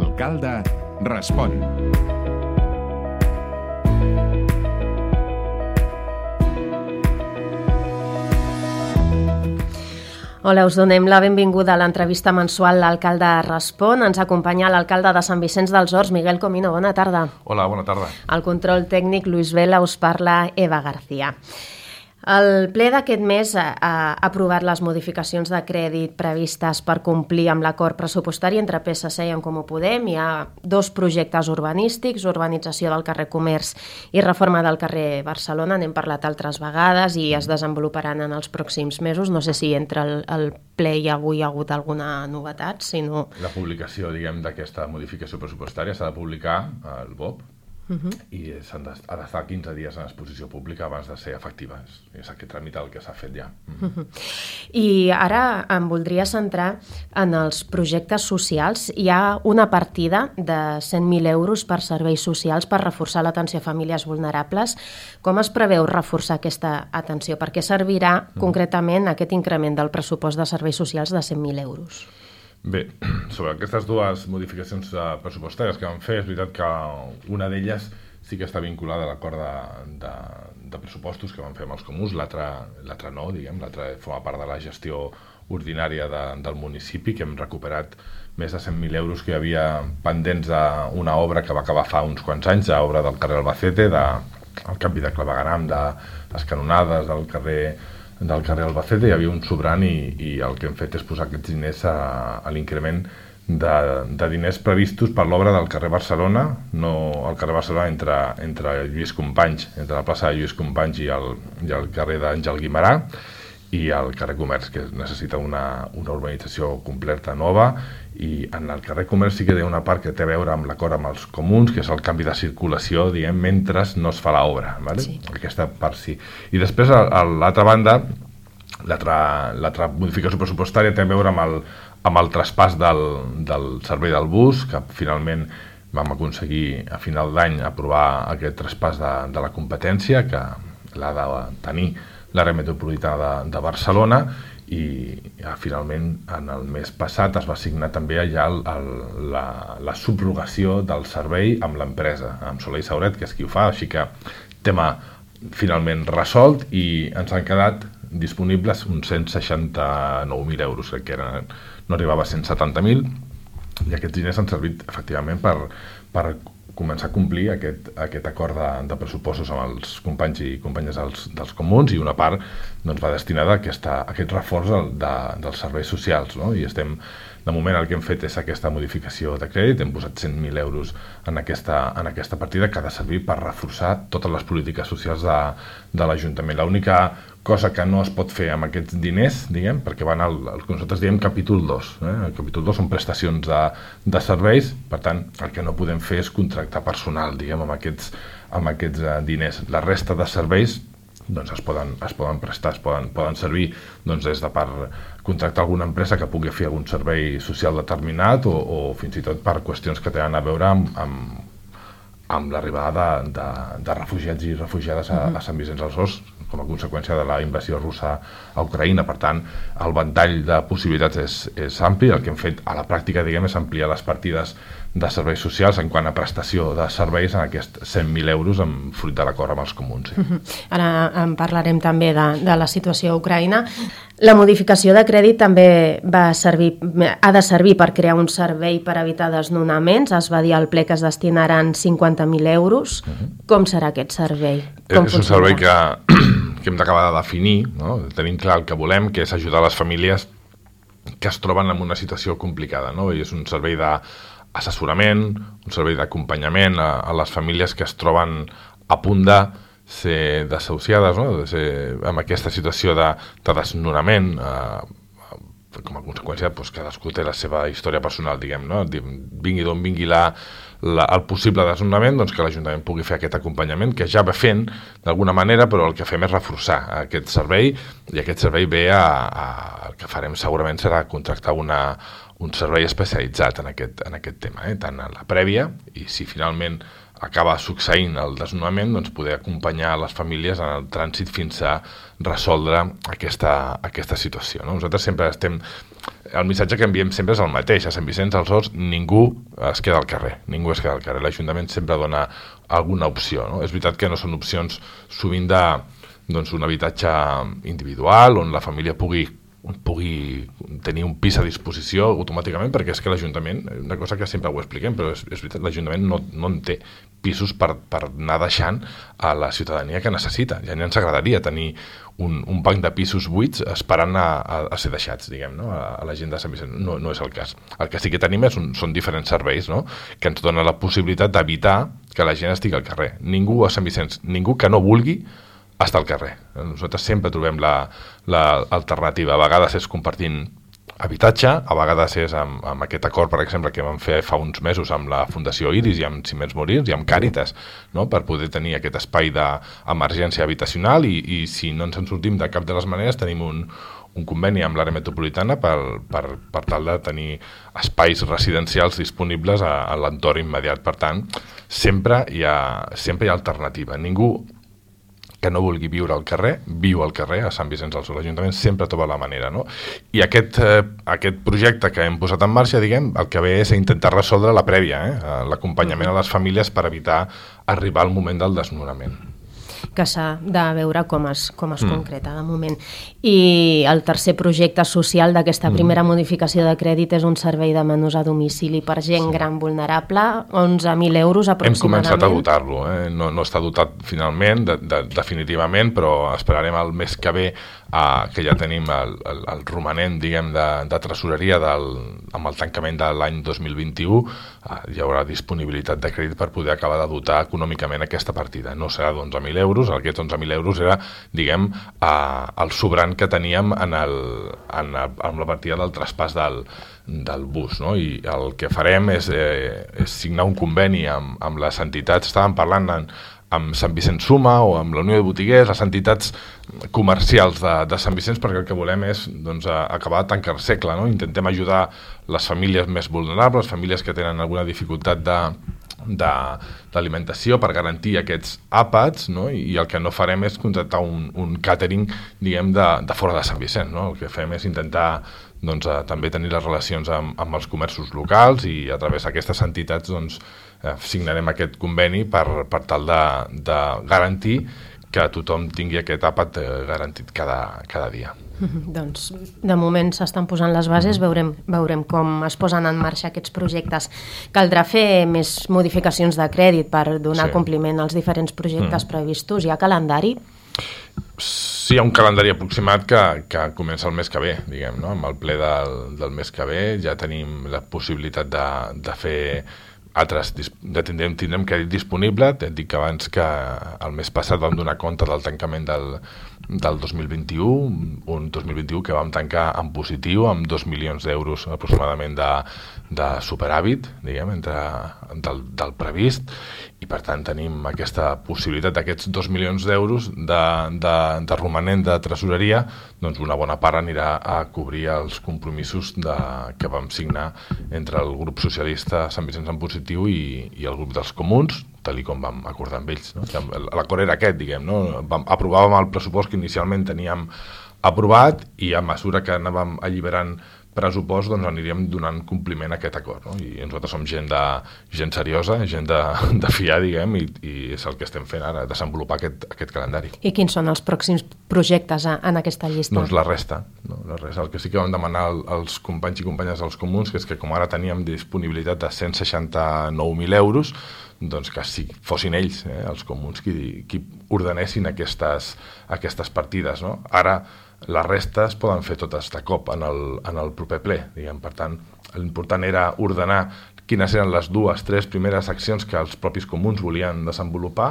L'alcalde respon. Hola, us donem la benvinguda a l'entrevista mensual L'alcalde respon. Ens acompanya l'alcalde de Sant Vicenç dels Horts, Miguel Comino. Bona tarda. Hola, bona tarda. Al control tècnic, Luis Vela, us parla Eva García. El ple d'aquest mes ha aprovat les modificacions de crèdit previstes per complir amb l'acord pressupostari entre PSC i En Comú Podem. Hi ha dos projectes urbanístics, urbanització del carrer Comerç i reforma del carrer Barcelona. N'hem parlat altres vegades i es desenvoluparan en els pròxims mesos. No sé si entre el ple i avui hi ha hagut alguna novetat, si no... La publicació, d'aquesta modificació pressupostària s'ha de publicar al BOP, i ha d'estar 15 dies en exposició pública abans de ser efectiva. És aquest tràmit el que s'ha fet ja. I ara em voldria centrar en els projectes socials. Hi ha una partida de 100.000 euros per serveis socials per reforçar l'atenció a famílies vulnerables. Com es preveu reforçar aquesta atenció? Per què servirà concretament aquest increment del pressupost de serveis socials de 100.000 euros? Bé, sobre aquestes dues modificacions pressupostàries que vam fer, és veritat que una d'elles sí que està vinculada a l'acord de pressupostos que vam fer amb els comuns, l'altra no, l'altra forma part de la gestió ordinària del municipi, que hem recuperat més de 100.000 euros que hi havia pendents d'una obra que va acabar fa uns quants anys, l'obra del carrer Albacete, el canvi de clavegueram, de les canonades del carrer Albacete. Hi havia un sobrant i el que hem fet és posar aquests diners a l'increment de diners previstos per l'obra del carrer Barcelona, no el carrer Barcelona entre Lluís Companys, entre la plaça de Lluís Companys i el carrer d'Àngel Guimerà, i el carrer Comerç, que necessita una urbanització completa nova. I en el carrer Comerç sí que hi ha una part que té a veure amb l'acord amb els comuns, que és el canvi de circulació, mentre no es fa l'obra, ¿vale? Sí. Aquesta part sí. I després, a l'altra banda, l'altra modificació pressupostària té a veure amb el traspàs del servei del bus, que finalment vam aconseguir a final d'any aprovar aquest traspàs de la competència, que l'ha de tenir l'àrea metropolitana de Barcelona, i finalment en el mes passat es va signar també allà la subrogació del servei amb l'empresa, amb Soler i Sauret, que és qui ho fa, així que tema finalment resolt, i ens han quedat disponibles uns 169.000 euros, que no arribava a 170.000, i aquests diners han servit efectivament per començar a complir aquest acord de pressupostos amb els companys i companyes dels comuns, i una part va destinada a aquest reforç dels serveis socials, no? I de moment el que hem fet és aquesta modificació de crèdit, hem posat 100.000 euros en aquesta partida, que ha de servir per reforçar totes les polítiques socials de l'Ajuntament. L'única cosa que no es pot fer amb aquests diners, perquè van al que nosaltres diem capítol 2. El capítol 2 són prestacions de serveis, per tant, el que no podem fer és contractar personal, amb aquests diners. La resta de serveis es poden prestar, poden servir des de per contractar alguna empresa que pugui fer algun servei social determinat, o fins i tot per qüestions que tenen a veure amb l'arribada de refugiats i refugiades a Sant Vicenç dels Horts, com a conseqüència de la invasió russa a Ucraïna. Per tant, el ventall de possibilitats és ampli. El que hem fet a la pràctica, és ampliar les partides de serveis socials en quant a prestació de serveis en aquests 100.000 euros fruit de l'acord amb els comuns. Ara en parlarem també de la situació a Ucraïna. La modificació de crèdit també ha de servir per crear un servei per evitar desnonaments. Es va dir al ple que es destinaran 50.000 euros. Com serà aquest servei? És un servei que hem d'acabar de definir, no? Tenim clar el que volem, que és ajudar les famílies que es troben en una situació complicada, no? I és un servei d'assessorament, un servei d'acompanyament a les famílies que es troben a punt de ser desahuciades, no? De ser en aquesta situació de desnonament, com a conseqüència, cadascú té la seva història personal, no? Vingui d'on vingui el possible desnonament, que l'Ajuntament pugui fer aquest acompanyament, que ja va fent d'alguna manera, però el que fem és reforçar aquest servei, i aquest servei el que farem segurament serà contractar un servei especialitzat en aquest tema, tant en la prèvia, i si finalment acaba succeint el desnonament, poder acompanyar les famílies en el trànsit fins a resoldre aquesta situació, no? Nosaltres sempre estem el missatge que enviem sempre és el mateix. A Sant Vicenç dels Horts ningú es queda al carrer. L'Ajuntament sempre dona alguna opció. No? És veritat que no són opcions sovint d'un habitatge individual on la família pugui tenir un pis a disposició automàticament, perquè és que l'Ajuntament, una cosa que sempre ho expliquem, però és veritat, l'Ajuntament no en té pisos per anar deixant a la ciutadania que necessita. Ja ens agradaria tenir un banc de pisos buits esperant a ser deixats, diguem, no? A la gent de Sant Vicenç. No és el cas. El que sí que tenim són diferents serveis, no? Que ens donen la possibilitat d'evitar que la gent estigui al carrer. Ningú a Sant Vicenç, ningú que no vulgui estar al carrer. Nosaltres sempre trobem l'alternativa. A vegades és compartint habitatge, a vegades és amb aquest acord, per exemple, que vam fer fa uns mesos amb la Fundació Iris i amb Ciments Morins i amb Càritas, no? Per poder tenir aquest espai d'emergència habitacional i si no ens en sortim de cap de les maneres tenim un conveni amb l'àrea metropolitana per tal de tenir espais residencials disponibles a l'entorn immediat. Per tant, sempre hi ha alternativa. Ningú que no vulgui viure al carrer, viu al carrer a Sant Vicenç dels Horts. L'Ajuntament sempre troba la manera, no? I aquest projecte que hem posat en marxa, diguem, el que ve és intentar resoldre la prèvia, l'acompanyament a les famílies per evitar arribar al moment del desnonament. Que s'ha de veure com es concreta de moment. I el tercer projecte social d'aquesta primera modificació de crèdit és un servei de menús a domicili per gent gran vulnerable, 11.000 euros aproximadament. Hem començat a dotar-lo, no està dotat finalment, definitivament, però esperarem el mes que ve que ja tenim el romanent, diguem, de tresoreria amb el tancament de l'any 2021, hi haurà disponibilitat de crèdit per poder acabar de dotar econòmicament aquesta partida. No serà d'11.000 euros, aquests 11.000 euros era, diguem, el sobrant que teníem amb la partida del traspàs del bus, no? I el que farem és signar un conveni amb les entitats, estàvem parlant amb Sant Vicenç Suma o amb la Unió de Botiguers, les entitats comercials de Sant Vicenç, perquè el que volem és acabar de tancar el segle, no? Intentem ajudar les famílies més vulnerables, famílies que tenen alguna dificultat d'alimentació per garantir aquests àpats, no? I el que no farem és contractar un càtering, diguem, de fora de Sant Vicenç, no? El que fem és intentar també tenir les relacions amb els comerços locals i a través d'aquestes entitats signarem aquest conveni per tal de garantir que tothom tingui aquest àpat garantit cada dia. Doncs de moment s'estan posant les bases, veurem com es posen en marxa aquests projectes. Caldrà fer més modificacions de crèdit per donar compliment als diferents projectes previstos. Hi ha calendari? Sí, hi ha un calendari aproximat que comença el mes que ve, diguem, no? Amb el ple del mes que ve ja tenim la possibilitat de fer tindrem crèdit disponible. Et dic abans que el mes passat vam donar compte del tancament del 2021, un 2021 que vam tancar en positiu amb 2 milions d'euros aproximadament de superàvit, diguem, del previst, i per tant tenim aquesta possibilitat d'aquests 2 milions d'euros de romanent de tresoreria, doncs una bona part anirà a cobrir els compromisos que vam signar entre el grup socialista Sant Vicenç en Positiu i el grup dels comuns, tal com vam acordar amb ells, no? L'acord era aquest, diguem, no? Aprovàvem el pressupost que inicialment teníem aprovat i a mesura que anàvem alliberant pressupost aniríem donant compliment a aquest acord, no? I nosaltres som gent seriosa, gent de fiar, diguem, i és el que estem fent ara, desenvolupar aquest calendari. I quins són els pròxims projectes en aquesta llista? Doncs la resta, no? El que sí que vam demanar als companys i companyes dels comuns, que és que com ara teníem disponibilitat de 169.000 euros, doncs que si fossin ells, els comuns, qui ordenessin aquestes partides, no? Ara les restes poden fer totes de cop en el proper ple, diguem. Per tant, l'important era ordenar quines eren les 2-3 primeres accions que els propis comuns volien desenvolupar.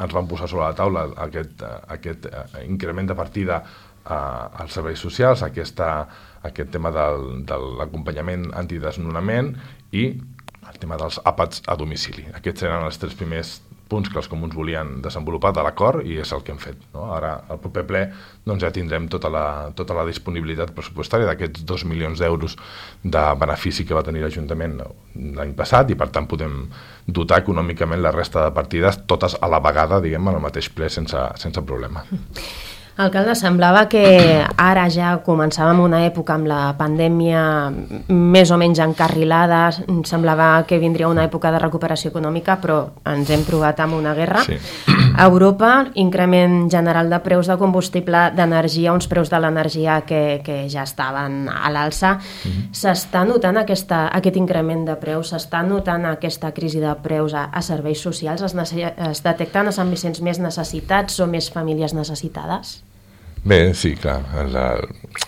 Ens van posar sobre la taula aquest increment de partida als serveis socials, aquest tema de l'acompanyament antidesnonament i el tema dels àpats a domicili. Aquests eren els 3 primers punts que els comuns volien desenvolupar de l'acord i és el que hem fet, no? Ara, al proper ple, ja tindrem tota la disponibilitat pressupostària d'aquests 2 milions d'euros de benefici que va tenir l'Ajuntament l'any passat i, per tant, podem dotar econòmicament la resta de partides totes a la vegada, diguem, en el mateix ple sense problema. Alcalde, semblava que ara ja començàvem una època amb la pandèmia més o menys encarrilada, semblava que vindria una època de recuperació econòmica, però ens hem trobat amb una guerra. Sí. A Europa, increment general de preus de combustible, d'energia, uns preus de l'energia que ja estaven a l'alça. S'està notant aquest increment de preus, s'està notant aquesta crisi de preus a serveis socials, es detecten a Sant Vicenç més necessitats o més famílies necessitades? Bé, sí, clar,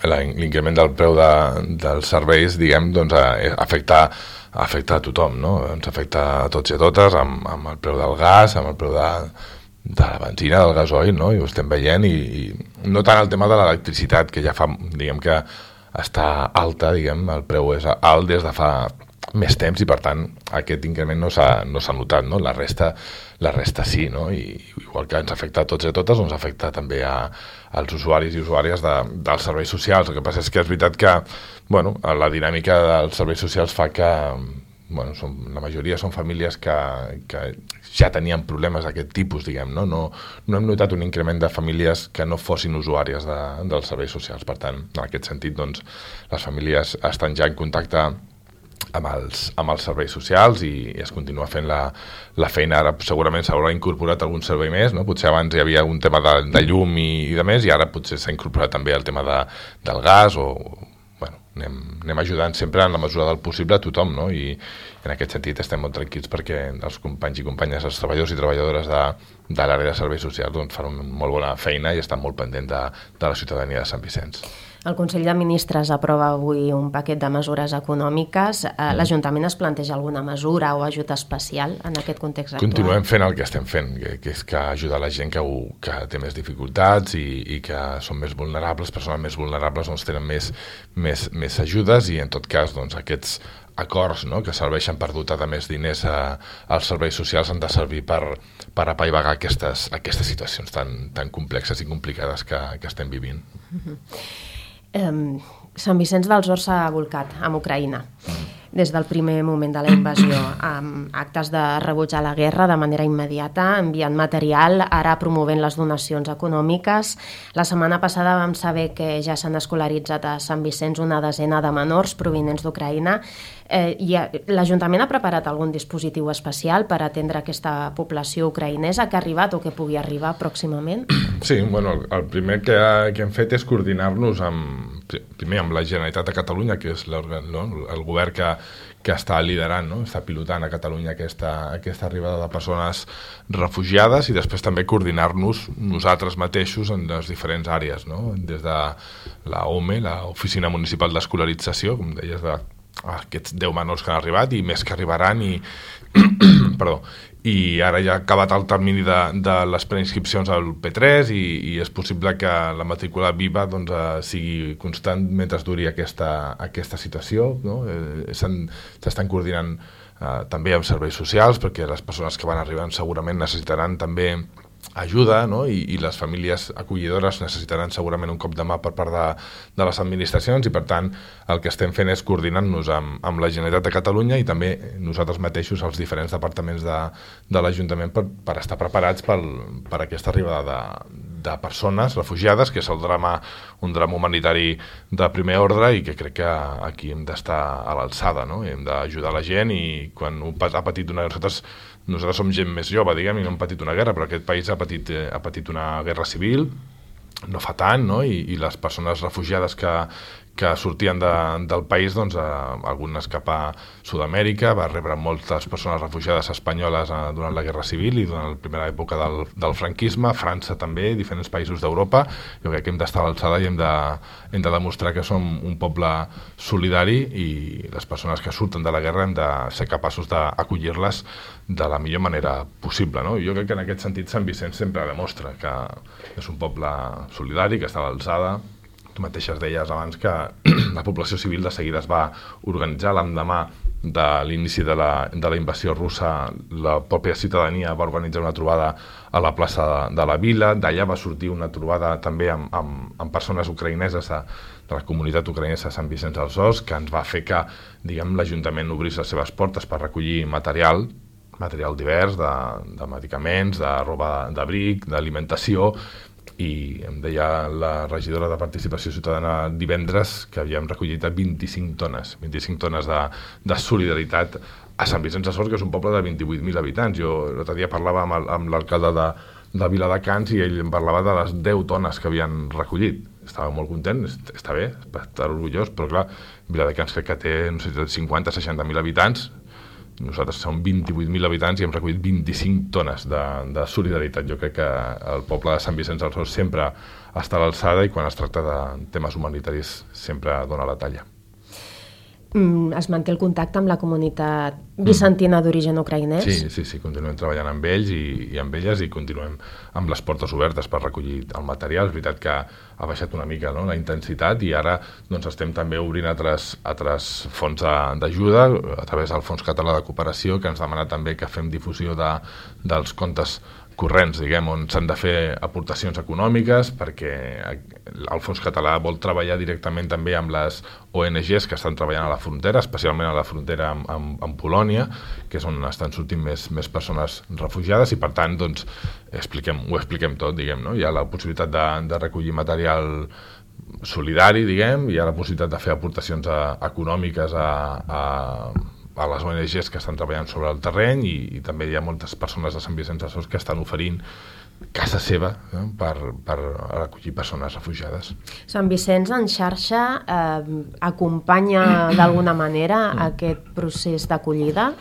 l'increment del preu dels serveis, diguem, doncs afecta a tothom, no? Ens afecta a tots i a totes, amb el preu del gas, amb el preu de la benzina, del gasoil, no? I ho estem veient, i no tant el tema de l'electricitat, que ja fa, diguem que està alta, diguem, el preu és alt des de fa més temps, i per tant aquest increment no s'ha notat, no? La resta sí, no? I igual que ens afecta a tots i a totes, ens afecta també als usuaris i usuàries dels serveis socials. El que passa és que és veritat que la dinàmica dels serveis socials fa que la majoria són famílies que ja tenien problemes d'aquest tipus, diguem, no? No hem notat un increment de famílies que no fossin usuàries dels serveis socials. Per tant, en aquest sentit, doncs, les famílies estan ja en contacte amb els serveis socials i es continua fent la feina. Ara segurament s'haurà incorporat algun servei més, no? Potser abans hi havia un tema de llum i de més, i ara potser s'ha incorporat també el tema del gas, o anem ajudant sempre en la mesura del possible a tothom, no? I en aquest sentit estem molt tranquils perquè els companys i companyes, els treballadors i treballadores de l'àrea de serveis socials, doncs, fan una molt bona feina i estan molt pendents de la ciutadania de Sant Vicenç. El Consell de Ministres aprova avui un paquet de mesures econòmiques. L'Ajuntament es planteja alguna mesura o ajut especial en aquest context actual? Continuem fent el que estem fent, que és que ajudar la gent que té més dificultats i que són més vulnerables, persones més vulnerables, doncs tenen més ajudes, i en tot cas doncs, aquests acords, no?, que serveixen per dotar de més diners als serveis socials han de servir per apaivagar aquestes situacions tan complexes i complicades que estem vivint. Sant Vicenç dels Horts s'ha volcat amb Ucraïna des del primer moment de la invasió, amb actes de rebuig a la guerra de manera immediata, enviant material, ara promovent les donacions econòmiques. La setmana passada vam saber que ja s'han escolaritzat a Sant Vicenç una desena de menors provinents d'Ucraïna. L'Ajuntament ha preparat algun dispositiu especial per atendre aquesta població ucraïnesa que ha arribat o que pugui arribar pròximament? Sí, el primer que hem fet és coordinar-nos primer amb la Generalitat de Catalunya, que és el govern que està liderant, no? Està pilotant a Catalunya aquesta arribada de persones refugiades, i després també coordinar-nos nosaltres mateixos en les diferents àrees, no? Des de l'OME, l'Oficina Municipal d'Escolarització, com deies, aquests 10 menors que han arribat i més que arribaran, i ara ja ha acabat el termini de les preinscripcions al P3 i és possible que la matrícula viva sigui constant mentre duri aquesta situació, no? S'estan coordinant també amb serveis socials, perquè les persones que van arribant segurament necessitaran també ajuda, no? I les famílies acollidores necessitaran segurament un cop de mà per part de les administracions, i per tant el que estem fent és coordinar-nos amb la Generalitat de Catalunya i també nosaltres mateixos, els diferents departaments de l'Ajuntament, per estar preparats per aquesta arribada de persones refugiades, que és un drama humanitari de primer ordre, i que crec que aquí hem d'estar a l'alçada, no? Hem d'ajudar la gent, i quan ha patit nosaltres som gent més jove, diguem, i no hem patit una guerra, però aquest país ha patit una guerra civil no fa tant, no? I les persones refugiades que sortien del país, doncs, algunes cap a Sud-amèrica, va rebre moltes persones refugiades espanyoles durant la Guerra Civil i durant la primera època del franquisme, França també, diferents països d'Europa. Jo crec que hem d'estar a l'alçada i hem de demostrar que som un poble solidari, i les persones que surten de la guerra hem de ser capaços d'acollir-les de la millor manera possible, no? Jo crec que en aquest sentit Sant Vicenç sempre demostra que és un poble solidari, que està a l'alçada. Tu mateixes deies abans que la població civil de seguida es va organitzar l'endemà de l'inici de la invasió russa. La pròpia ciutadania va organitzar una trobada a la plaça de la Vila. D'allà va sortir una trobada també amb persones ucraïneses de la comunitat ucraïnesa de Sant Vicenç dels Horts, que ens va fer que, diguem, l'Ajuntament obrís les seves portes per recollir material divers, de medicaments, de roba d'abric, d'alimentació, i em deia la regidora de Participació Ciutadana divendres que havíem recollit 25 tones de solidaritat a Sant Vicenç de Sors, que és un poble de 28.000 habitants. Jo l'altre dia parlava amb l'alcalde de Viladecans i ell em parlava de les 10 tones que havien recollit. Estava molt content, està bé, està orgullós, però clar, Viladecans crec que té 50-60.000 habitants, nosaltres som 28.000 habitants i hem recollit 25 tones de solidaritat. Jo crec que el poble de Sant Vicenç dels Horts sempre està a l'alçada i quan es tracta de temes humanitaris sempre dona la talla. Es manté el contacte amb la comunitat vicentina d'origen ucraïnès? Sí, continuem treballant amb ells i amb elles i continuem amb les portes obertes per recollir el material. És veritat que ha baixat una mica, no?, la intensitat i ara doncs, estem també obrint altres fonts d'ajuda a través del Fons Català de Cooperació, que ens demana també que fem difusió dels comptes corrents, diguem, on s'han de fer aportacions econòmiques, perquè el Fons Català vol treballar directament també amb les ONGs que estan treballant a la frontera, especialment a la frontera amb Polònia, que és on estan sortint més persones refugiades, i per tant doncs, ho expliquem tot, diguem, no? Hi ha la possibilitat de recollir material solidari, diguem, hi ha la possibilitat de fer aportacions econòmiques a les ONGs que estan treballant sobre el terreny i també hi ha moltes persones de Sant Vicenç dels Horts que estan oferint casa seva, no?, per acollir persones refugiades. Sant Vicenç en xarxa acompanya d'alguna manera aquest procés d'acollida?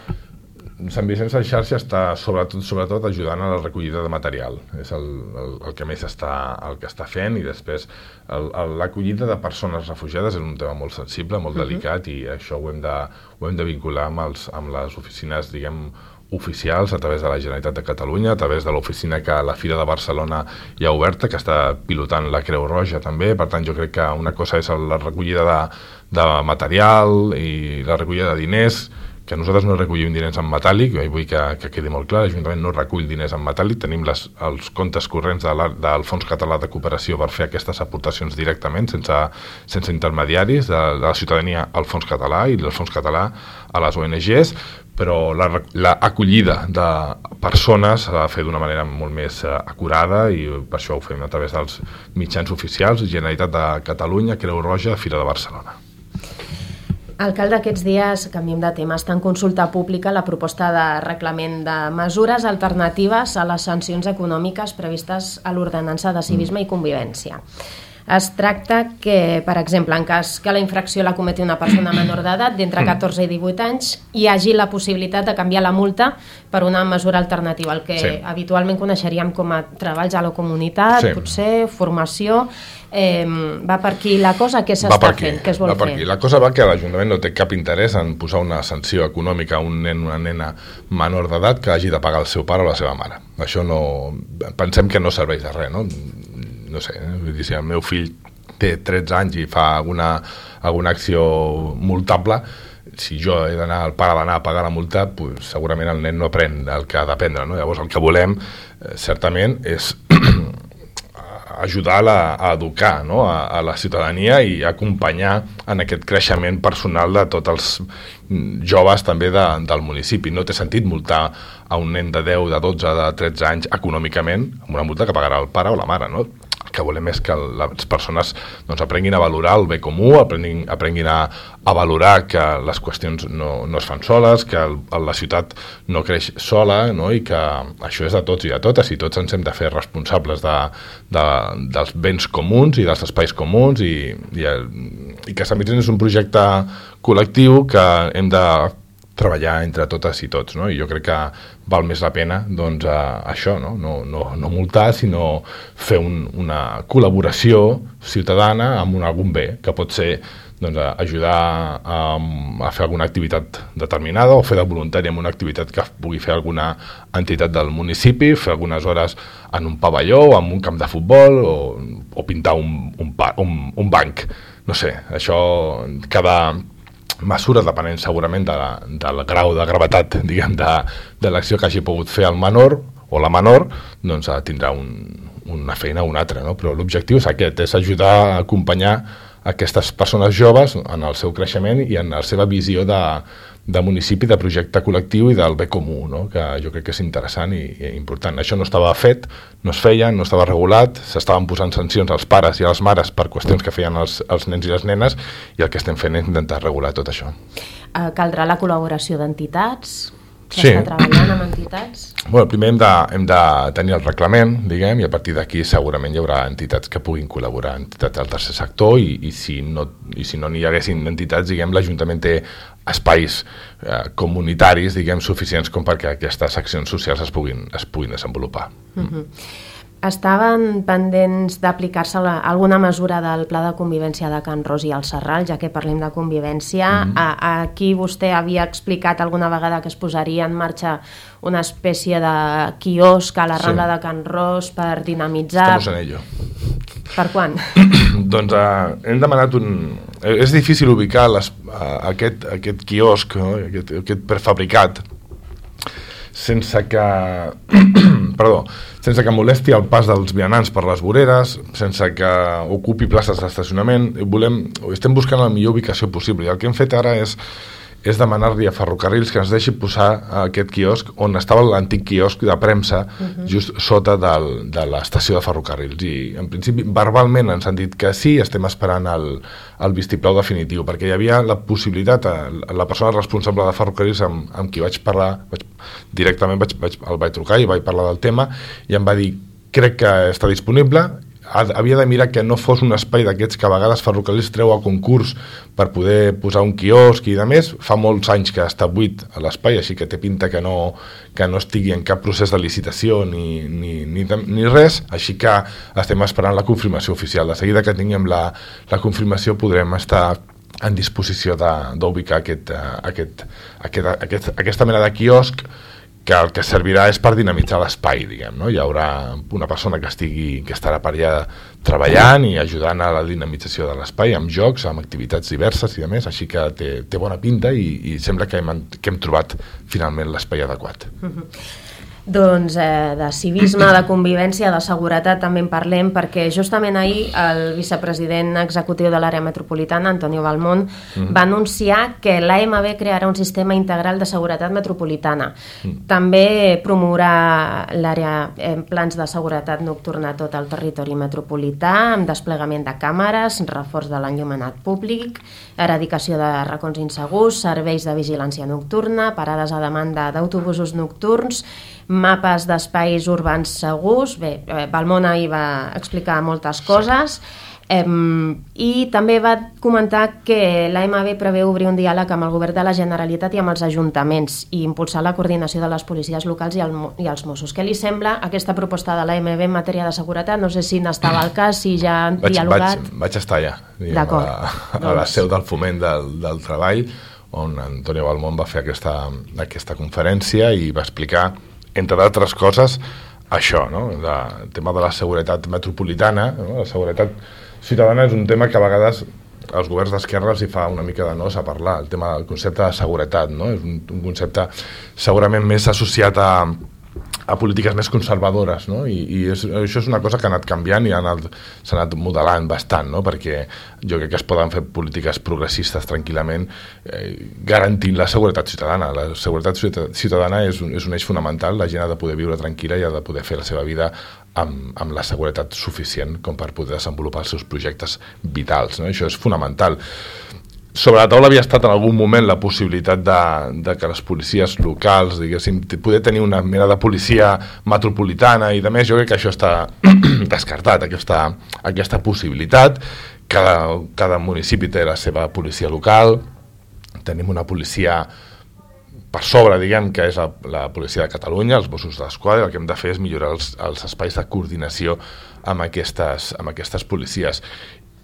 Sant Vicenç en xarxa està sobretot ajudant a la recollida de material, és el que més està fent, i després l'acollida de persones refugiades és un tema molt sensible, molt delicat, i això ho hem de vincular amb les oficines, diguem, oficials a través de la Generalitat de Catalunya, a través de l'oficina que la Fira de Barcelona hi ha oberta, que està pilotant la Creu Roja també. Per tant, jo crec que una cosa és la recollida de material i la recollida de diners, que nosaltres no recollim diners en metàl·lic, vull que quedi molt clar, l'Ajuntament no recull diners en metàl·lic, tenim els comptes corrents del Fons Català de Cooperació per fer aquestes aportacions directament, sense intermediaris, de la ciutadania al Fons Català i del Fons Català a les ONGs, però l'acollida de persones s'ha de fer d'una manera molt més acurada i per això ho fem a través dels mitjans oficials, Generalitat de Catalunya, Creu Roja, Fira de Barcelona. Alcalde, aquests dies, canviem de tema, està en consulta pública la proposta de reglament de mesures alternatives a les sancions econòmiques previstes a l'ordenança de civisme i convivència. Es tracta que, per exemple, en cas que la infracció la cometi una persona menor d'edat d'entre 14 i 18 anys, hi hagi la possibilitat de canviar la multa per una mesura alternativa, el que habitualment coneixeríem com a treballs a la comunitat, potser formació. Va per aquí la cosa? Què s'està fent? Què es vol fer? La cosa va que l'Ajuntament no té cap interès en posar una sanció econòmica a un nen o una nena menor d'edat que hagi de pagar el seu pare o la seva mare. Això no... Pensem que no serveix de res, no? No sé, vull dir, si el meu fill té 13 anys i fa alguna acció multable, si jo he d'anar, el pare d'anar a pagar la multa, pues, segurament el nen no aprèn el que ha d'aprendre, no? Llavors el que volem, certament, és ajudar a educar, no?, a la ciutadania i acompanyar en aquest creixement personal de tots els joves també del municipi. No té sentit multar a un nen de 10, de 12, de 13 anys econòmicament amb una multa que pagarà el pare o la mare, no? El que volem és que les persones doncs, aprenguin a valorar el bé comú, aprenguin a valorar que les qüestions no es fan soles, que la ciutat no creix sola, no? I que això és de tots i de totes, i tots ens hem de fer responsables dels béns comuns i dels espais comuns, i que Sant Vicenç és un projecte col·lectiu que hem de treballar entre totes i tots, no? I jo crec que val més la pena doncs, això, no multar, sinó fer una col·laboració ciutadana amb algun bé, que pot ser doncs, ajudar a fer alguna activitat determinada o fer de voluntari en una activitat que pugui fer alguna entitat del municipi, fer algunes hores en un pavelló o en un camp de futbol o pintar un banc. No sé, això cada mesura, depenent segurament del grau de gravetat, diguem, de l'acció que hagi pogut fer el menor o la menor, doncs tindrà una feina o una altra, no? Però l'objectiu és aquest, és ajudar a acompanyar aquestes persones joves en el seu creixement i en la seva visió de municipi, de projecte col·lectiu i del bé comú, no? Que jo crec que és interessant i important. Això no estava fet, no es feia, no estava regulat, s'estaven posant sancions als pares i a les mares per qüestions que feien els nens i les nenes, i el que estem fent és intentar regular tot això. Caldrà la col·laboració d'entitats? Sí. Està treballant amb entitats? Bueno, primer hem de tenir el reglament, diguem, i a partir d'aquí segurament hi haurà entitats que puguin col·laborar, entitats del tercer sector, i si no n'hi haguessin entitats, diguem, l'Ajuntament té espais comunitaris, diguem, suficients com perquè aquestes accions socials es puguin desenvolupar. Estaven pendents d'aplicar-se alguna mesura del Pla de Convivència de Can Ros i el Serral, ja que parlem de convivència. Aquí vostè havia explicat alguna vegada que es posaria en marxa una espècie de quiosc a la Rambla de Can Ros per dinamitzar... Estamos en ello. Per quan? Doncs hem demanat És difícil ubicar aquest quiosc, no? aquest prefabricat, sense que molesti el pas dels vianants per les voreres, sense que ocupi places d'estacionament. Estem buscant la millor ubicació possible, i el que hem fet ara és demanar-li a Ferrocarrils que ens deixi posar aquest quiosc on estava l'antic quiosc de premsa, just sota de l'estació de Ferrocarrils, i en principi verbalment ens han dit que sí, estem esperant el vistiplau definitiu, perquè hi havia la possibilitat, la persona responsable de Ferrocarrils amb qui vaig parlar directament, el vaig trucar i vaig parlar del tema, i em va dir, crec que està disponible, havia de mirar que no fos un espai d'aquests que a vegades Ferrocarrils treu a concurs per poder posar un quiosc i de més. Fa molts anys que està buit a l'espai, així que té pinta que no estigui en cap procés de licitació ni res, així que estem esperant la confirmació oficial. De seguida que tinguem la confirmació podrem estar en disposició d'ubicar aquesta mena de quiosc, que el que servirà és per dinamitzar l'espai, diguem, no? Hi haurà una persona que estarà per allà treballant i ajudant a la dinamització de l'espai, amb jocs, amb activitats diverses i de més, així que té bona pinta i sembla que hem trobat finalment l'espai adequat. Doncs de civisme, de convivència, de seguretat també en parlem, perquè justament ahir el vicepresident executiu de l'àrea metropolitana, Antonio Balmón, va anunciar que l'AMB crearà un sistema integral de seguretat metropolitana. També promourà l'àrea en plans de seguretat nocturna a tot el territori metropolità, amb desplegament de càmeres, reforç de l'enllumenat públic, eradicació de racons insegurs, serveis de vigilància nocturna, parades a demanda d'autobusos nocturns, mapes d'espais urbans segurs. Bé, Balmón ahir va explicar moltes coses, i també va comentar que l'AMB preveu obrir un diàleg amb el govern de la Generalitat i amb els ajuntaments i impulsar la coordinació de les policies locals i els Mossos. Què li sembla aquesta proposta de l'AMB en matèria de seguretat? No sé si n'estava al cas, si ja han dialogat. Vaig estar allà, a la seu del Foment del Treball, on Antonio Balmón va fer aquesta conferència i va explicar, entre d'altres coses, això, no? El tema de la seguretat metropolitana, no? La seguretat ciutadana és un tema que a vegades als governs d'esquerra els hi fa una mica de nos a parlar, el tema del concepte de seguretat, no? És un concepte segurament més associat a polítiques més conservadores, no? I això és una cosa que ha anat canviant i s'ha anat modelant bastant, no? Perquè jo crec que es poden fer polítiques progressistes tranquil·lament garantint la seguretat ciutadana. La seguretat ciutadana és un eix fonamental, la gent ha de poder viure tranquil·la i ha de poder fer la seva vida amb la seguretat suficient com per poder desenvolupar els seus projectes vitals, no? Això és fonamental. Sobre la taula havia estat en algun moment la possibilitat de que les policies locals, diguéssim, poder tenir una mena de policia metropolitana i de més. Jo crec que això està descartat, aquesta possibilitat. Cada municipi té la seva policia local, tenim una policia per sobre, diguem, que és la policia de Catalunya, els Mossos d'Esquadra. El que hem de fer és millorar els espais de coordinació amb aquestes policies.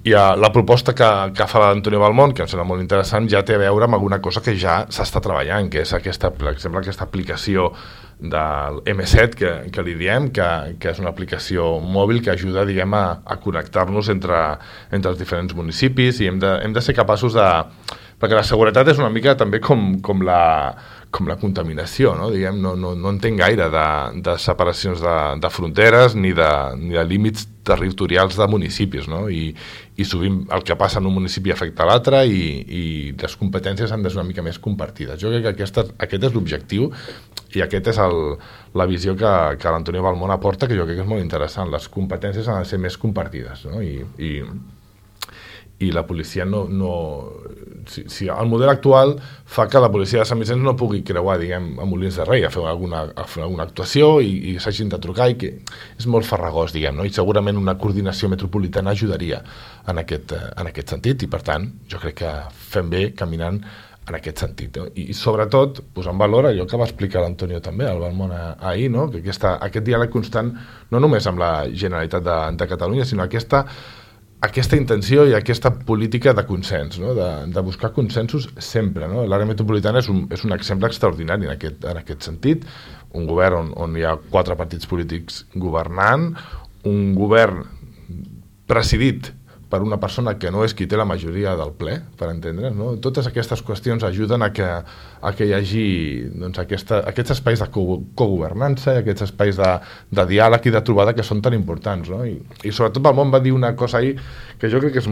I la proposta que fa l'Antonio Balmón, que em sembla molt interessant, ja té a veure amb alguna cosa que ja s'està treballant, que és per exemple, aquesta aplicació del M7, que li diem, que és una aplicació mòbil que ajuda, diguem, a connectar-nos entre els diferents municipis, i hem de ser capaços de perquè la seguretat és una mica també com la contaminació, no? Diguem, no entenc gaire de separacions de fronteres ni de límits territorials de municipis, no? I sovint el que passa en un municipi afecta l'altre i les competències han de ser una mica més compartides. Jo crec que aquest és l'objectiu i aquest és la visió que l'Antonio Balmón aporta, que jo crec que és molt interessant. Les competències han de ser més compartides, no? I la policia si el model actual fa que la policia de Sant Vicenç no pugui creuar, diguem, a Molins de Rei a fer alguna actuació i s'hagin de trucar, i que és molt farragós, diguem, no? I segurament una coordinació metropolitana ajudaria en aquest sentit, i per tant jo crec que fem bé caminant en aquest sentit, no? I sobretot posar en valor allò que va explicar l'Antonio també, el Balmón ahir, no? Que aquest diàleg constant, no només amb la Generalitat de Catalunya, sinó aquesta intenció i aquesta política de consens, no? De buscar consensos sempre, no? L'àrea metropolitana és un exemple extraordinari en aquest sentit, un govern on hi ha 4 partits polítics governant, un govern presidit per una persona que no és qui té la majoria del ple, per entendre's, no? Totes aquestes qüestions ajuden a que hi hagi, doncs, aquests espais de cogovernança i aquests espais de diàleg i de trobada que són tan importants, no? I sobretot Balmón va dir una cosa ahir que jo crec que és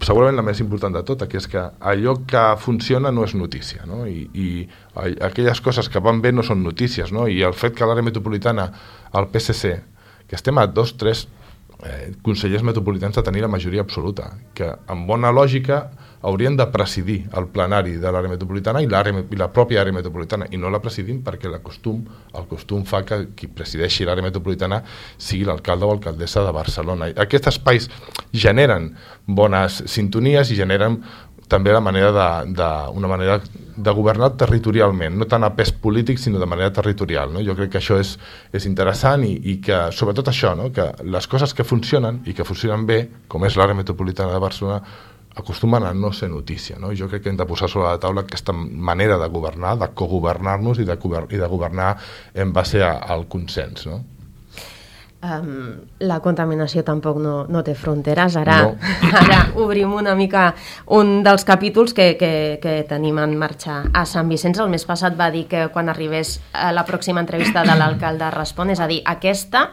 segurament la més important de tot, que és que allò que funciona no és notícia, no? I aquelles coses que van bé no són notícies, no? I el fet que a l'àrea metropolitana, al PSC, que estem a 2-3 consellers metropolitans de tenir la majoria absoluta, que amb bona lògica haurien de presidir el plenari de l'àrea metropolitana i la pròpia àrea metropolitana, i no la presidim perquè el costum fa que qui presideixi l'àrea metropolitana sigui l'alcalde o alcaldessa de Barcelona. Aquests espais generen bones sintonies i generen també una manera de governar territorialment, no tant a pes polític, sinó de manera territorial, no? Jo crec que això és interessant i que, sobretot això, no? Que les coses que funcionen i que funcionen bé, com és l'àrea metropolitana de Barcelona, acostumen a no ser notícia, no? Jo crec que hem de posar sobre la taula aquesta manera de governar, de cogovernar-nos i de governar en base al consens, no? La contaminació tampoc no té fronteres. Ara obrim una mica un dels capítols que tenim en marxa a Sant Vicenç. El mes passat va dir que quan arribés a la pròxima entrevista de l'alcalde Respon, és a dir, aquesta,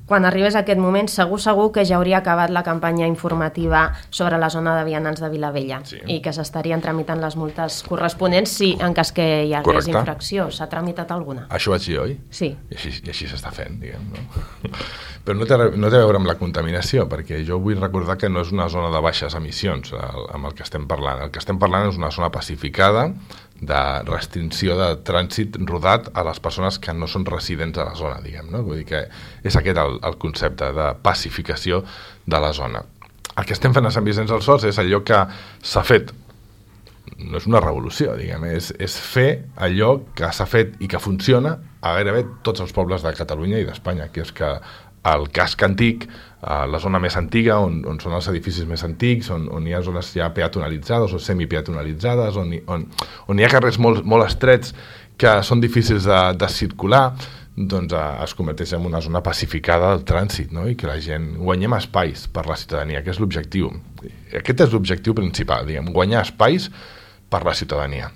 quan arribés aquest moment, segur que ja hauria acabat la campanya informativa sobre la zona de vianants de Vilavella, i que s'estarien tramitant les multes corresponents en cas que hi hagués infracció. S'ha tramitat alguna? Això vaig dir, oi? Sí. I així s'està fent, diguem, no? Però no té a veure amb la contaminació, perquè jo vull recordar que no és una zona de baixes emissions amb el que estem parlant. El que estem parlant és una zona pacificada de restricció de trànsit rodat a les persones que no són residents a la zona, diguem, no? Vull dir que és aquest el concepte de pacificació de la zona. El que estem fent a Sant Vicenç dels Horts és allò que s'ha fet, no és una revolució, diguem, és fer allò que s'ha fet i que funciona a gairebé tots els pobles de Catalunya i d'Espanya, que és que el casc antic, la zona més antiga, on són els edificis més antics, on hi ha zones ja peatonalitzades o semipeatonalitzades, on hi ha carrers molt estrets que són difícils de circular, doncs es converteix en una zona pacificada del trànsit, no? I que la gent guanyem espais per la ciutadania, que és l'objectiu. Aquest és l'objectiu principal, diguem, guanyar espais per la ciutadania.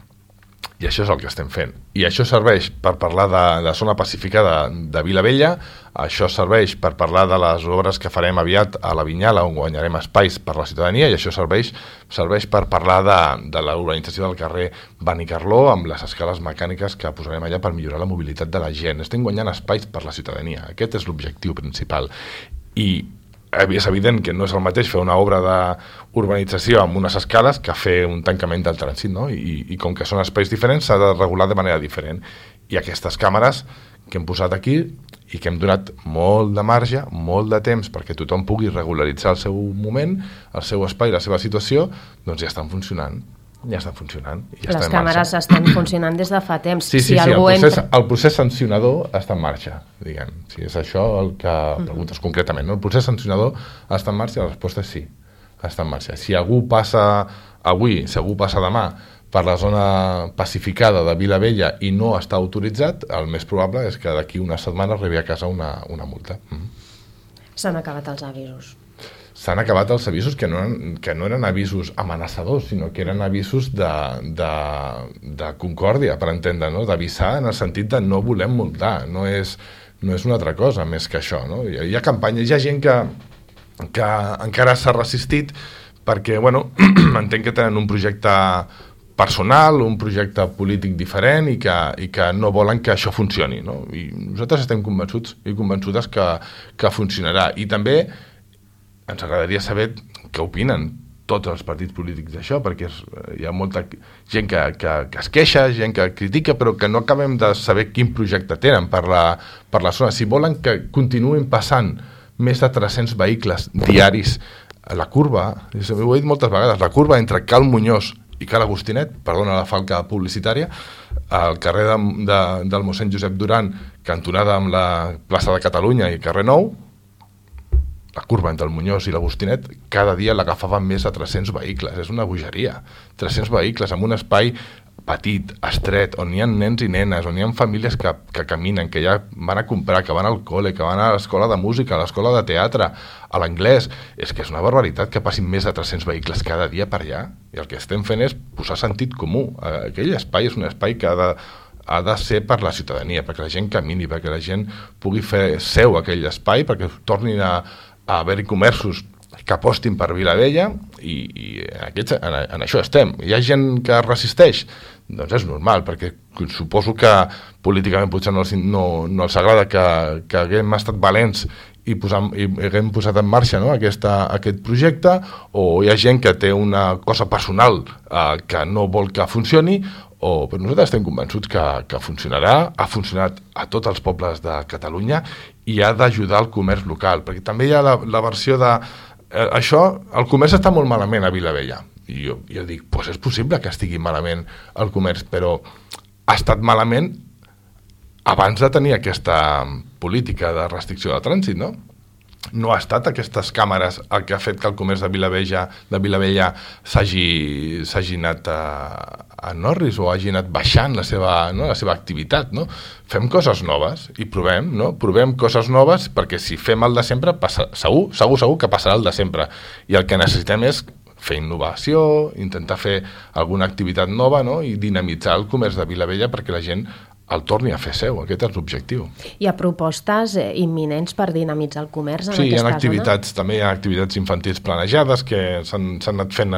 I això és el que estem fent. I això serveix per parlar de zona pacificada de Vilavella, això serveix per parlar de les obres que farem aviat a la Vinyala, on guanyarem espais per la ciutadania, i això serveix per parlar de la urbanització del carrer Benicarló, amb les escales mecàniques que posarem allà per millorar la mobilitat de la gent. Estem guanyant espais per la ciutadania. Aquest és l'objectiu principal. I és evident que no és el mateix fer una obra d'urbanització amb unes escales que fer un tancament del trànsit, no? I com que són espais diferents s'ha de regular de manera diferent. I aquestes càmeres que hem posat aquí i que hem donat molt de marge, molt de temps perquè tothom pugui regularitzar el seu moment, el seu espai, la seva situació, doncs ja estan funcionant. Ja estan funcionant. Les càmeres estan funcionant des de fa temps. Sí, el procés sancionador està en marxa, diguem. Si és això el que preguntes concretament, no? El procés sancionador està en marxa, la resposta és sí, està en marxa. Si algú passa avui, si algú passa demà per la zona pacificada de Vilavella i no està autoritzat, el més probable és que d'aquí una setmana arribi a casa una multa. S'han acabat els avisos. s'han acabat els avisos que no eren avisos amenaçadors, sinó que eren avisos de concòrdia, per entendre, no? D'avisar en el sentit de no volem multar, no és una altra cosa més que això, no? Hi ha campanyes, hi ha gent que encara s'ha resistit perquè, bueno, entenc que tenen un projecte personal, un projecte polític diferent i que no volen que això funcioni, no? I nosaltres estem convençuts i convençudes que funcionarà. I també ens agradaria saber què opinen tots els partits polítics d'això, perquè hi ha molta gent que es queixa, gent que critica, però que no acabem de saber quin projecte tenen per la zona. Si volen que continuïn passant més de 300 vehicles diaris a la curva, ho he dit moltes vegades, la curva entre Cal Muñoz i Cal Agustinet, perdona la falca publicitària, al carrer del mossèn Josep Duran, cantonada amb la plaça de Catalunya i carrer Nou, la curva entre el Muñoz i l'Agustinet, cada dia l'agafaven més de 300 vehicles. És una bogeria. 300 vehicles en un espai petit, estret, on hi ha nens i nenes, on hi ha famílies que caminen, que ja van a comprar, que van al col·le, que van a l'escola de música, a l'escola de teatre, a l'anglès. És que és una barbaritat que passin més de 300 vehicles cada dia per allà. I el que estem fent és posar sentit comú. Aquell espai és un espai que ha de ser per la ciutadania, perquè la gent camini, perquè la gent pugui fer seu aquell espai, perquè tornin a haver-hi comerços que apostin per Vilavella i en això estem. Hi ha gent que resisteix? Doncs és normal, perquè suposo que políticament potser no els agrada que haguem estat valents i haguem posat en marxa, no, aquest projecte, o hi ha gent que té una cosa personal que no vol que funcioni, però nosaltres estem convençuts que funcionarà, ha funcionat a tots els pobles de Catalunya i ha d'ajudar el comerç local, perquè també hi ha la versió de això, el comerç està molt malament a Vilavella, i jo dic, doncs és possible que estigui malament el comerç, però ha estat malament abans de tenir aquesta política de restricció de trànsit, no? No ha estat aquestes càmeres el que ha fet que el comerç de Vilavella s'hagi anat a Norris o hagi anat baixant la seva activitat, no? Fem coses noves i provem, no? Provem coses noves, perquè si fem el de sempre, segur que passarà el de sempre. I el que necessitem és fer innovació, intentar fer alguna activitat nova, no? I dinamitzar el comerç de Vilavella perquè la gent el torni a fer seu, aquest és l'objectiu. Hi ha propostes imminents per dinamitzar el comerç en aquesta zona? Sí, també hi ha activitats infantils planejades que s'han anat fent,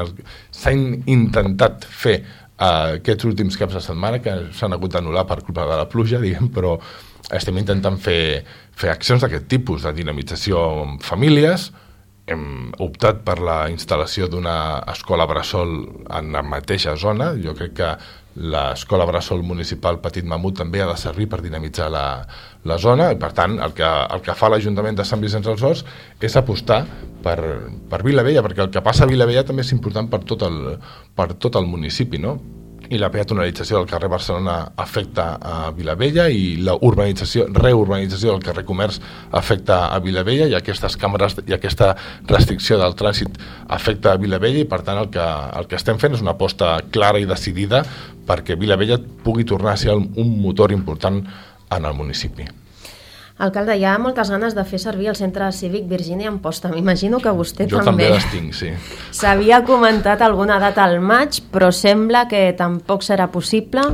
s'han intentat fer aquests últims caps de setmana, que s'han hagut d'anul·lar per culpa de la pluja, diguem, però estem intentant fer accions d'aquest tipus, de dinamització amb famílies. Hem optat per la instal·lació d'una escola bressol en la mateixa zona. Jo crec que l'escola bressol municipal Petit Mamut també ha de servir per dinamitzar la zona, i per tant el que fa l'Ajuntament de Sant Vicenç dels Horts és apostar per Vilavella, perquè el que passa a Vilavella també és important per tot el municipi, no? I la peatonalització del carrer Barcelona afecta a Vilavella i la reurbanització del carrer Comerç afecta a Vilavella, i aquestes càmeres i aquesta restricció del trànsit afecta a Vilavella, i per tant el que estem fent és una aposta clara i decidida perquè Vilavella pugui tornar a ser un motor important en el municipi. Alcalde, hi ha moltes ganes de fer servir el centre cívic Virgínia Amposta. M'imagino que vostè Jo també les tinc, sí. S'havia comentat alguna data al maig, però sembla que tampoc serà possible.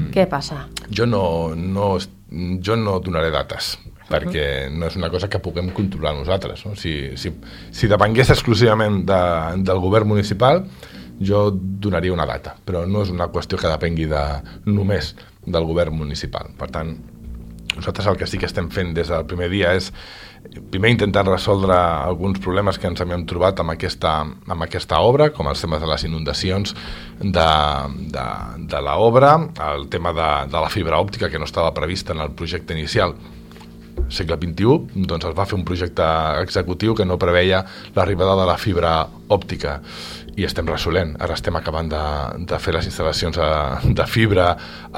Què passa? Jo no donaré dates, perquè no és una cosa que puguem controlar nosaltres, no? Si depengués exclusivament del govern municipal, jo donaria una data, però no és una qüestió que depengui només del govern municipal. Per tant, nosaltres el que sí que estem fent des del primer dia és primer intentar resoldre alguns problemes que ens hem trobat amb aquesta obra, com els temes de les inundacions de l'obra, el tema de la fibra òptica que no estava prevista en el projecte inicial segle XXI, doncs es va fer un projecte executiu que no preveia l'arribada de la fibra òptica, i estem resolent. Ara estem acabant de fer les instal·lacions de fibra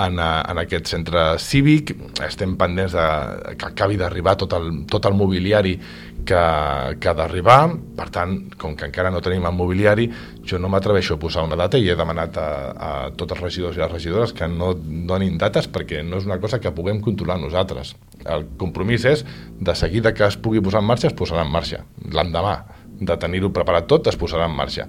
en aquest centre cívic, estem pendents que acabi d'arribar tot el mobiliari que ha d'arribar. Per tant, com que encara no tenim el mobiliari, jo no m'atreveixo a posar una data, i he demanat a tots els regidors i les regidores que no donin dates, perquè no és una cosa que puguem controlar nosaltres. El compromís és, de seguida que es pugui posar en marxa, es posarà en marxa, l'endemà. de tenir-ho preparat tot, es posarà en marxa.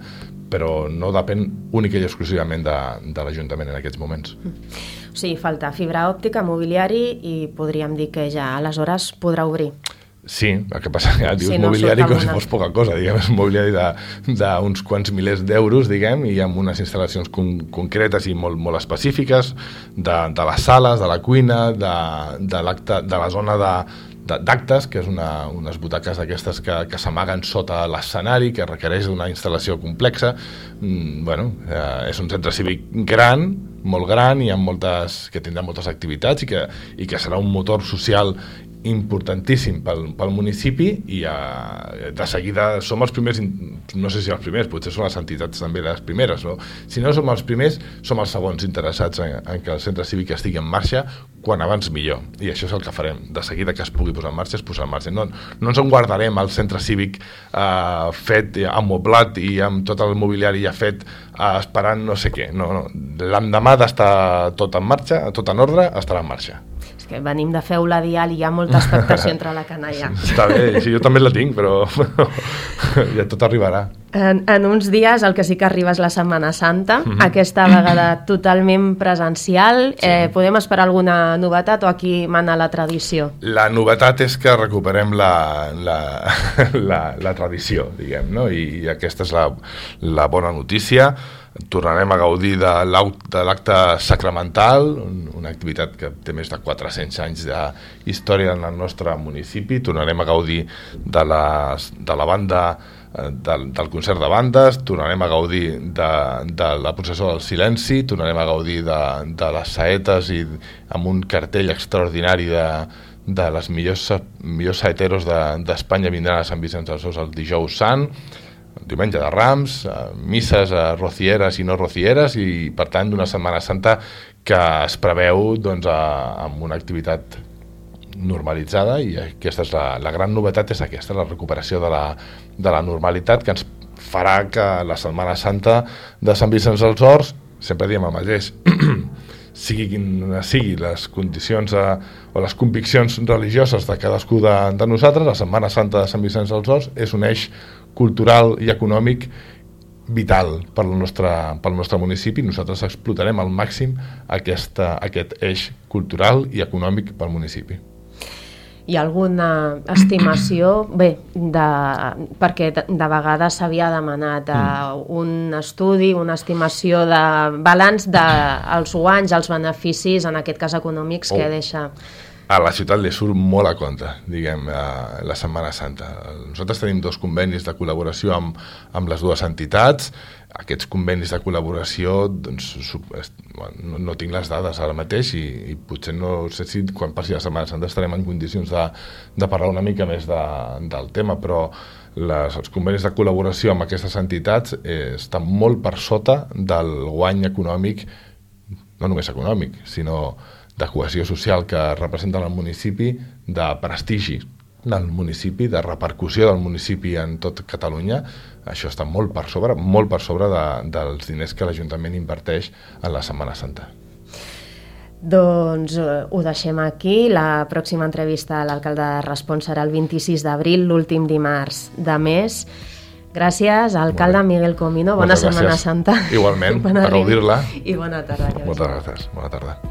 Però no depèn única i exclusivament de l'Ajuntament en aquests moments. O sigui, falta fibra òptica, mobiliari i podríem dir que ja aleshores podrà obrir. Sí, el que passa que dius mobiliari com si fos poca cosa, diguem, és mobiliari d'uns quants milers d'euros, diguem, i amb unes instal·lacions concretes i molt específiques de les sales, de la cuina, de la zona d'actes, que és unes butaques d'aquestes que s'amaguen sota l'escenari, que requereix una instal·lació complexa. És un centre cívic gran, molt gran, i que tindrà moltes activitats i que serà un motor social importantíssim pel municipi, i de seguida som els primers, no sé si els primers, potser són les entitats també les primeres, no? Si no som els primers, som els segons interessats en que el centre cívic estigui en marxa, quan abans millor, i això és el que farem. De seguida que es pugui posar en marxa, es posarà en marxa. No ens en guardarem el centre cívic fet, amoblat i amb tot el mobiliari ja fet, esperant no sé què. No. L'endemà d'estar tot en marxa, tot en ordre, estarà en marxa. És que venim de fer la dial i hi ha molta expectació entre la canalla. Està bé, sí, jo també la tinc, però ja tot arribarà. En uns dies el que sí que arriba és la Setmana Santa, aquesta vegada totalment presencial. Sí. Podem esperar alguna novetat o aquí mana la tradició? La novetat és que recuperem la tradició, diguem, no? I aquesta és la bona notícia. Tornarem a gaudir de l'acte sacramental, una activitat que té més de 400 anys d'història en el nostre municipi. Tornarem a gaudir de la banda, del concert de bandes, tornarem a gaudir de la processó del silenci, tornarem a gaudir de les saetes, i amb un cartell extraordinari de les millors saeteros d'Espanya vindran a Sant Vicenç dels Horts el dijous sant, diumenge de Rams, misses rocieres i no rocieres, i per tant d'una Setmana Santa que es preveu amb una activitat normalitzada, i aquesta és la gran novetat, és aquesta, la recuperació de la normalitat, que ens farà que la Setmana Santa de Sant Vicenç dels Horts, sempre diem el mateix, sigui les condicions o les conviccions religioses de cadascú de nosaltres, la Setmana Santa de Sant Vicenç dels Horts és un eix cultural i econòmic vital pel nostre municipi. Nosaltres explotarem al màxim aquest eix cultural i econòmic pel municipi. Hi ha alguna estimació? Bé, perquè de vegades s'havia demanat un estudi, una estimació de balanç dels guanys, els beneficis, en aquest cas econòmics, que deixa... A la ciutat li surt molt a compte, diguem, la Setmana Santa. Nosaltres tenim 2 convenis de col·laboració amb les 2 entitats. Aquests convenis de col·laboració, no tinc les dades ara mateix, i potser no sé si quan passi la Setmana Santa estarem en condicions de parlar una mica més del tema, però els convenis de col·laboració amb aquestes entitats estan molt per sota del guany econòmic, no només econòmic, sinó de cohesió social que representa el municipi, de prestigi del municipi, de repercussió del municipi en tot Catalunya. Això està molt per sobre dels diners que l'Ajuntament inverteix en la Setmana Santa. Doncs ho deixem aquí. La pròxima entrevista a l'alcalde de Respons serà el 26 d'abril, l'últim dimarts de mes. Gràcies, alcalde Miguel Comino. Bona Setmana Santa. Igualment, a gaudir-la. I bona tarda. Moltes gràcies. Bona tarda.